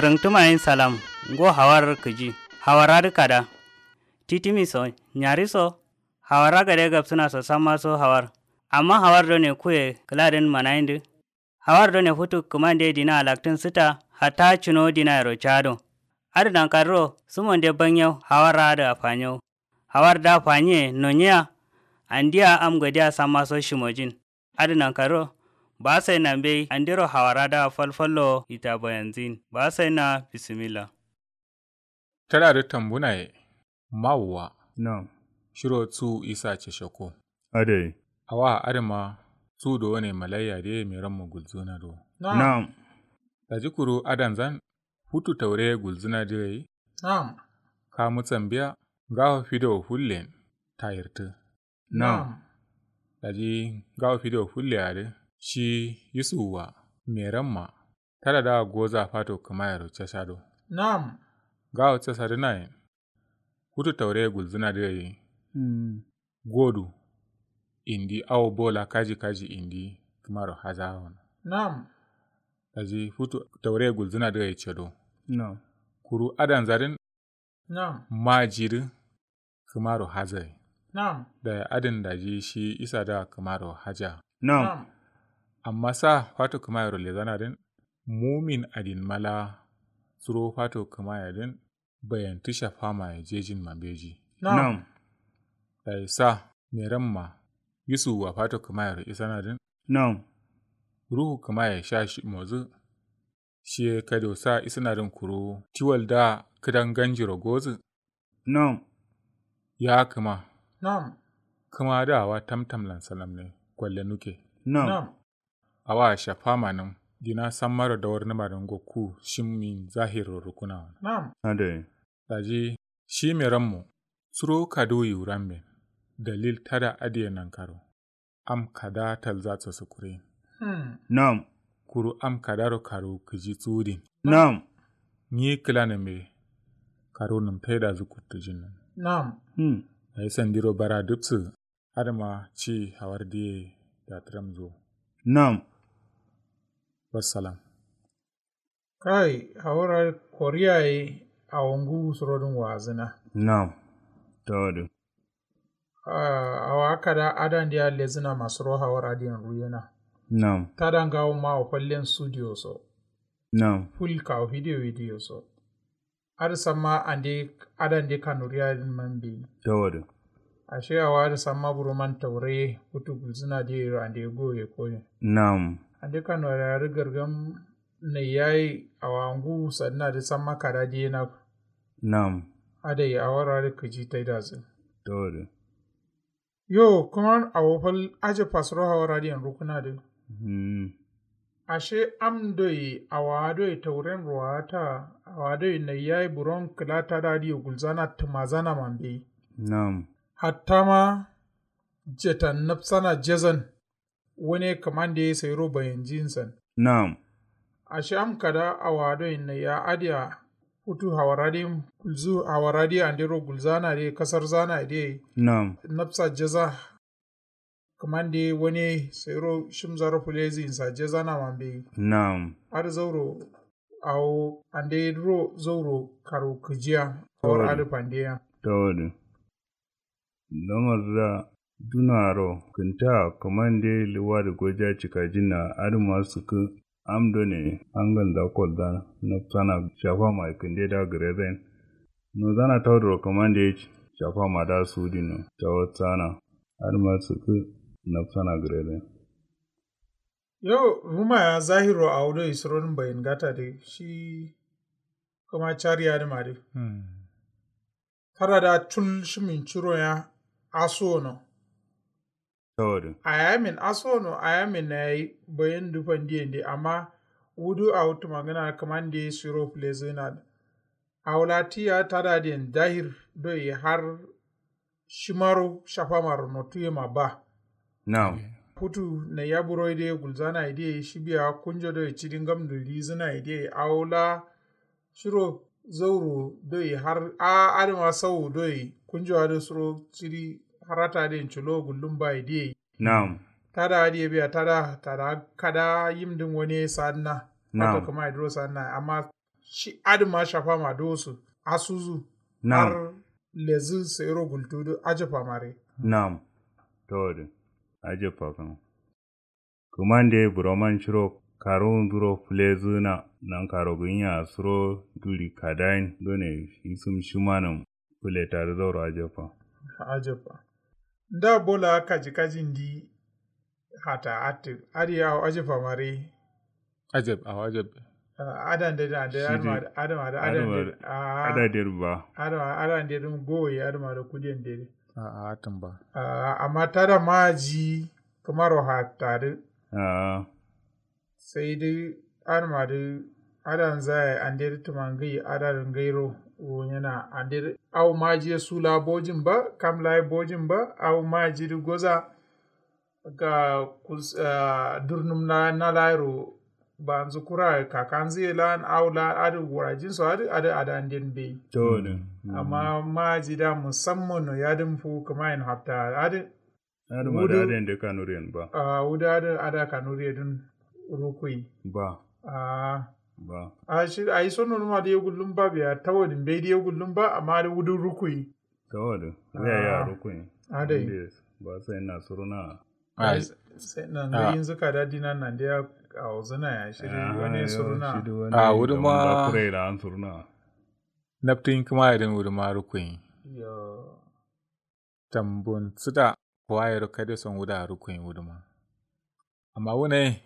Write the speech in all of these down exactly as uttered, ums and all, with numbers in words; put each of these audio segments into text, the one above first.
Rǝngtǝmayin salam. Ngo hawar kǝji. Hawar adǝ kada. Titimi so nyari so. Hawar agade gabsǝna so samma so hawar. Amma hawar done kuye kǝladǝn manayindǝ. Hawar done futu kǝmande dina alaktǝn sǝta. Hatta cuno dinayero cado. Adǝ nankarro sǝmonde banyau hawar adǝ afanyo. Hawar da fanyiye nonyiya. Andiya am godiya samma so shimojin. Adǝ nankarro. Ba sai na mbei andiro hawara da falfallo ita bayanzin ba sai na bisimilla. Tadadǝ tambunaye. Mawuwa. Nam. Shiro tsu isa cesheko. Adai. Awa adǝma. Tsu do wane malaiya de meramma gulzuna do. Nam. Daji kuru adanzan. Futu taure gulzuna de gai. Nam. Kamu tsambiya. Ngawo fido fullen. Tayirtǝ. Nam. Daji ngawo fido fulle adǝ. Shi yisuwa. Meramma. Tada da goza fato kǝmayero casado. Nam. Ngawo casadǝnaye. Futu taure gulzuna de gai. Godu. Indi awo bola kaji kaji indi. Kǝmaro hazawono. Nam. Daji futu taure gulzuna de gai cado. Nam. Kuru adanzadǝn. Nam. Majidǝ. Kǝmaro hazaye. Nam. Dayi adǝn daji shi isa da kǝmaro haja. Nam. Amma sa fato kǝmayero lezanadǝn. Mumin adin mala. Suro fato kǝmayedǝn. Bayantǝ shafamaye jejin ma beji. Nam. Dayi sa meramma. Yusuwa fato kǝmayero isanadǝn. Nam. Ruhu kǝmaye sha shi mozǝ. Shiye kado sa isǝnadǝn kuru tiwal da kǝdan ganjiro gozǝ. Nam. Ya kǝma. Nam. Kǝma da awa tamtamlan salamne. Kwalle nuke. Nam. Awa shafa manǝm. Dina sammaro dawarnǝmadǝn gokku shimmin zahirro rukunawa. Nam. Adai. Daji shi merammo. Suro kaduwu yiwuramben. Dalil tada adiye nankaro. Am kada talza so sǝkurin. Nam. Kuru am kadaro karu kǝji tsuwudin. Nam. Nyi kǝlanǝmbe. Karu nǝm taidazǝ kuttǝjin. Nam. Dayi sandiro bara dubsǝ. Adǝma ci hawar diye. Datǝramzo. Nam. Wassalam. Kai hawar adǝ koriya ye. Awo nguwu surodǝn wazǝna. Nam. Tawadǝ. Awo akada adande ya lezǝna masuro hawar adǝ yen ruyena. Nam. Tada ngawo ma awo fallen sudiyo so. Nam. Ful kawo fidiyo fidiyo so. Adǝ samma ande adande kanuriya adǝn mambe. Tawadǝ. Ashe awo adǝ samma buroman taure futu gulzǝna diye yero ande goye koye. Nam. Ande kanuriya adǝ gargam. Nai yayi awa ngu sadǝna dǝ samma kada diyena. Nam. Adai awara dǝ kǝji taidazǝ. Tawari. Yo kǝman awo fal aje fasuro hawara dǝ yen rukǝna dǝ. Ashe am doi awa doi tauren ruwata awa doi nai yayi buron kǝla tada dǝ ye gulzana tǝmazana mambe. Nam. Hatta ma jetan nabsana jezan. Wane kǝmande ye sairo bayanjinsan. Nam. Ashe am kada awa doi naiya adiya futu hawara dǝ gulzu hawara dǝ andero gulzana dǝ kasarzana dǝ. Nam. Nabsa jaza. Kǝmande ye wane sairo shimzaro fuleziyinsa jazana mambe. Nam. Adǝ zauro awo ande duro zauro karo kǝjiya. Hawar adǝ fandeya. Tawari. Lamar da dunaro kǝnta kǝmande ye liwadi goja cikajinna adǝma sǝkkǝ. Am done hangalnda kolzana nabsana shafama ye kǝnde da gǝrezain. Nozana tauduro kǝmande ye shafama da sudinno tawatsana. Adǝma sǝkkǝ nabsana gǝrezain. Yo ruma ya zahiro awo doi surodǝn bayin gata dǝ shi. Kǝma cari adǝma dǝ. Tada da cul shimin ciro ya. Asuwo no. Tawari. Ayamin asuwo no ayamin na yayi bayin dǝ fandi yende amma. Wudu awo tǝmangǝna kǝmande siro fulezǝna dǝ. Awo la tiya tada dǝ yen dahir doi har. Shimaro shafamaro notu yema ba. Nam. Futu naiya buroi dǝ ye gulzana ye dǝ ye shi biya kunjo doi cidi ngamdu rizǝna ye dǝ ye awo la. Shiro zauro doi har a adǝma sau doi kunjo adǝ suro cidi harata dǝ ye culo gullum ba ye dǝ ye. Nam. Tada adǝ ye biya tada tada kada yim dǝn wane sadǝna. Nam. Wato kǝma ye duro sadǝna amma. shi adǝ ma shafama dosu asuzu. Nam. Har lezǝ sairo gultudu ajabba mare. Nam. Tawadu. Ajabba kano. Kǝmande buroman shiro karuwunzuro fǝlezǝna. Nan karo gǝnya suro duri kadayin done isǝm shimanǝm. Fǝletadǝ zauro ajabba. Ajabba. Nda bola kaji kaji ndi hata attǝ adǝ yawo ajabba mare. Ajab awo ajab. Adande da ande adamade adamade adande. Adande ba. Adamade adande dum goye adamade kudiyan dede. A'a tǝmba. Amma tada maji kǝmaro hatta dǝ. A'a. Sai dǝ adǝma dǝ adanza yayi ande dǝ tǝma ngai adadǝ ngairo. Wonyena ande dǝ awo maji ye sula bojin ba kam layi bojin ba awo maji dǝ goza. Ga kus durnum na na layiro banzu kura kakanzu ye lan awo lan adǝ wurajin so adǝ adǝ adanden bai. Amma maji da musamman no yadǝn fu kǝma yen hafta adǝ. Adǝ ma da adǝ yen de kanuriyen ba. A wudu adǝ ada kanuriye dun rukui ba. A ba. A shi ayi so nonuma dǝ ye gullum ba biya tawadin bai dǝ ye gullum ba amma adǝ wudu rukui. Tawadin riya ya rukui. Adai. Ba sai na suruna. Ai sai na ngai yinzu kada dina nan dai ya awuzuna ya shi dǝ wani suruna. A wudu ma kure la an suruna. Naftin kǝma yadin wudu ma rukui. Yo. Tambun sǝda kuwa yero kade son wuda rukuyin wuduma. Amma wune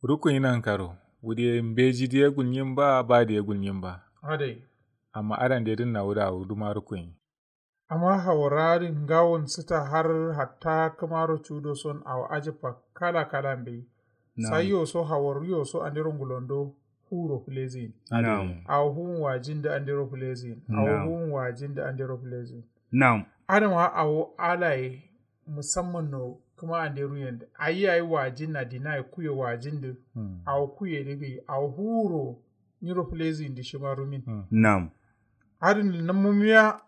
rukuyin nan karo wudiye mbeji diye gulnyin ba ba diye gulnyin ba. Adai. Amma adan de dinna wuda wuduma rukuyin. Amma hawara din ngawon sita har hatta kǝmaro cudo son awo ajabba kala kala mbeyi. Sai yo so hawar yo so andero ngulondo. Huro fǝlezǝyin. Awo huwun wajin dǝ andero fǝlezǝyin. Awo huwun wajin dǝ andero fǝlezǝyin. Nam. Adǝma awo alaye musamman no kǝma ande ruyen dǝ ayi yayi wajin na dina ye kuye wajin dǝ. Awo kuye dǝ gǝyi awo huro nyiro fǝlezǝyin dǝ shima rumin. Nam. Adǝn nǝmumiya.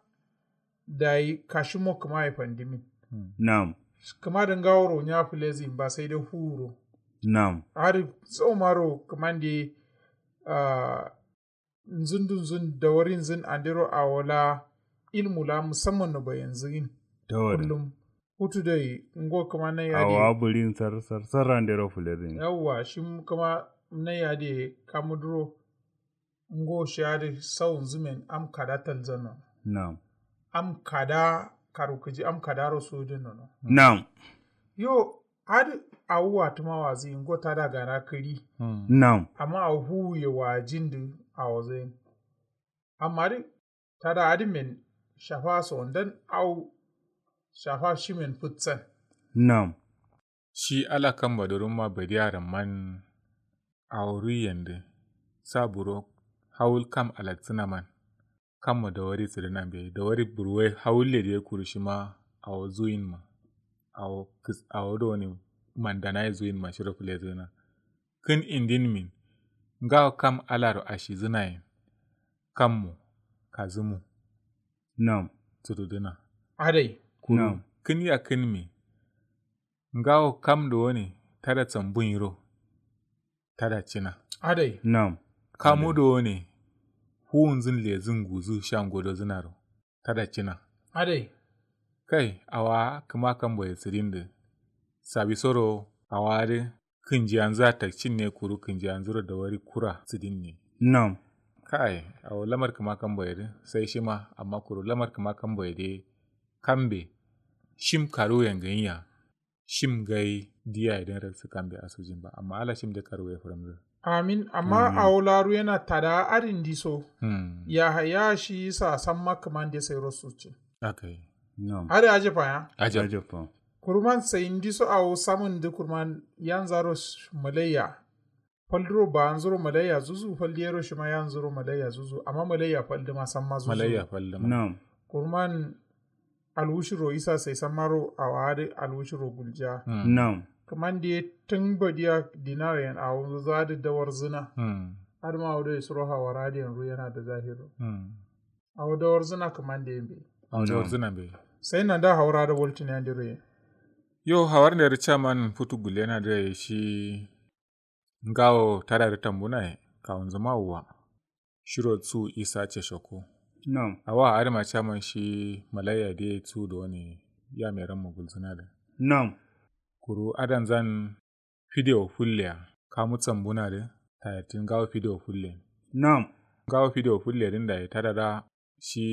Dayi kashimo kǝma ye fandimin. Nam. Kǝma dǝ ngaworo nya fǝlezǝyin ba sai dai huro. Nam. Adǝ zaumaro kǝmande. Nzundu nzun dawarin zun andero awo la ilmu la musamman no bayanzugin. Kullum hutu doi ngo kǝma nai adǝ awa burin sar sar sar andero fǝlezǝyin. Yawwa shim kǝma nai adǝ ye kamu duro. Ngo shi adǝ sau nzumen am kada talzan nono. Nam. Am kada karu kǝji am kada ro sudǝ nono. Nam. Yo adǝ awu watǝma wazi ngo tada gana kǝri. Nam. Amma awu huwu ye wajin dǝ awo zain. Amma dǝ tada adǝ men shafa sondan awu shafa shimen fǝtsan. Nam. Shi ala kamba dǝ rumma badiya ramman. Awo ruiyen dǝ sa buro hawul kam alaksǝna man. Kammo dawari sǝdǝna mbeyi dawari burwai hawulle dǝ ye kuru shima. Awo zuyin ma awo kǝs awo done mandanaye zuyin ma shiro fǝlezǝna. Kǝn indin min ngawo kam alaro ashizǝnayen. Kammo kazǝmu. Nam. Sududǝna. Adai. Kuru kǝn yakkǝnmi. Ngawo kam done tada sambun yiro. Tada cina. Adai. Nam. Kamu done huwunzun lezun guzu sha ngodozunaro. Tada cina. Adai. Kai awa kǝma kamboye sǝdin dǝ. Sabisoro awa dǝ kǝnjiyanzǝ a takcin ne kuru kǝnjiyanzǝro dawari kura sǝdin ne. Nam. Kai awo lamar kǝma kamboye dǝ sai shima amma kuru lamar kǝma kamboye dǝ. Kambe shim karuwuyen gǝnyiya. Shim ngai diya ye dǝn raksǝ kambe asujin ba amma ala shim de karuwuye fǝrǝmzǝ. Amin amma awo laru yena tada adǝ ndiso. Yahaya shi yisa samma kǝmande sairo succin. Adǝ ajabba ya. Ajabba. Kurman sai ndiso awo samǝn dǝ kurman yanzaro. Malaiya falduro bawanzuro malaiya zuzu faldiyero shima yanzuro malaiya zuzu amma malaiya faldǝma samma zuzu. Malaiya faldǝma. Kurman alwushiro isa sai sammaro awo adǝ alwushiro gulja. Nam. Kǝmande ye tǝn badiya dinawo yen awonzǝ adǝ dawarzǝna. Adǝma awo doi suro hawara adǝ yen ruyena dǝ zahiro. Awo dawarzǝna kǝmande ye mbeyi. Awo dawarzǝna mbeyi. Sai nanda hawara adǝ waltǝne andero yen. Yo hawar nde dǝ caman futu gullena dǝ yayi shi. Ngawo tada dǝ tambuna ye kawunzǝ ma wuwa. shiro su isa ceshoko. Nam. Awa adǝma caman shi malaiya de su do ne ya meran mugulzuna da. Nam. Kuru adanzan fidewo fulle ya kamu tsambuna da tayartin gawo fidewo fulle. Nam. Gawo fidewo fulle din da ya tada da shi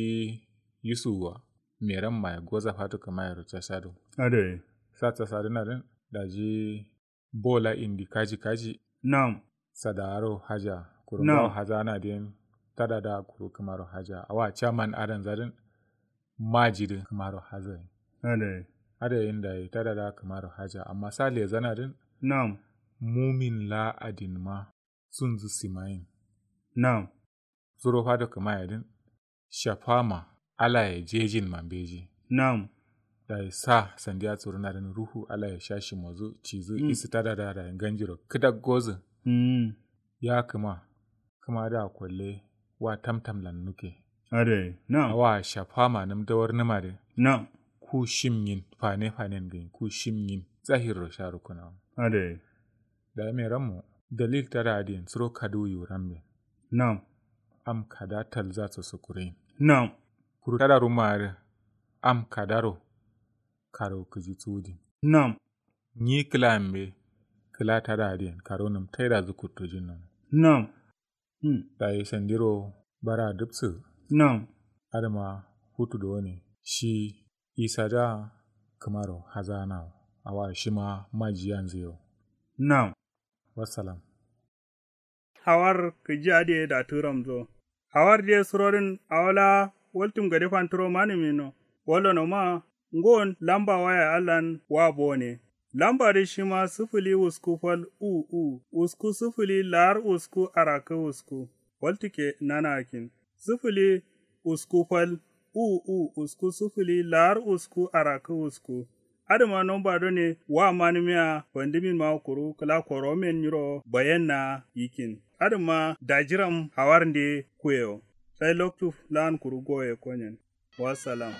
yusuwa meran ma ya goza fatu kama ya ruca shado. Adai. Sa tsasa dina din da ji bola indi kaji kaji. Nam. Sadaro haja kuru ngawo haza na din tada da kuru kamaro haja awa chairman adan zadin maji din kamaro haza. Adai. Adai inda yi tada da kamaro haja amma sa lezana din. Nam. Mumin la adin ma sunzu simayin. Nam. Suro fado kama ya din shafama alaye jejin ma mbeji. Nam. Dayi sa sandiya suruna din ruhu alaye shashi mozu cizu isi tada da dayi ganjiro kida gozu. Ya kama kama da kwalle wa tamtam lan nuke. Adai. Nam. Awa shafama num dawar numa de. Nam. Ku shim yin fane fanen gin ku shim yin zahirro sharu kuna. Adai. Dayi meran mo dalil tada adin suro kadu yu ramme. Nam. Am kada talza so sukurin. Nam. Kuru tada ruma adǝ am kadaro karo kǝji sudin. Nam. Nyi kǝla ambe kǝla tada adǝ yen karo nǝm taida zǝ kuttojin nono. Nam. Dayi sandiro bara dubsǝ. Nam. Adǝma futu done shi isa da kǝmaro hazanawo awa shima majiyanzǝ yo. Nam. Wassalam. Hawar kǝji adǝ ye datǝ ramzo. Hawar dǝ ye surodǝn awo la waltum gade fantǝro manǝmi no. Wolono ma ngon lamba waya allan wa bone. Lamba dǝ shima sǝfǝli usku fal u u usku sǝfǝli lar usku arakǝ usku. Waltǝ ke nana akin sǝfǝli usku fal u u usku sǝfǝli lar usku arakǝ usku. Adǝma nomba done wa manǝmiya fandǝmin ma kuru kǝla koromen nyiro bayenna yikin. Adǝma dajiram hawarnde kuyewo. Sai loktu lan kuru goye konyen. Wassalam.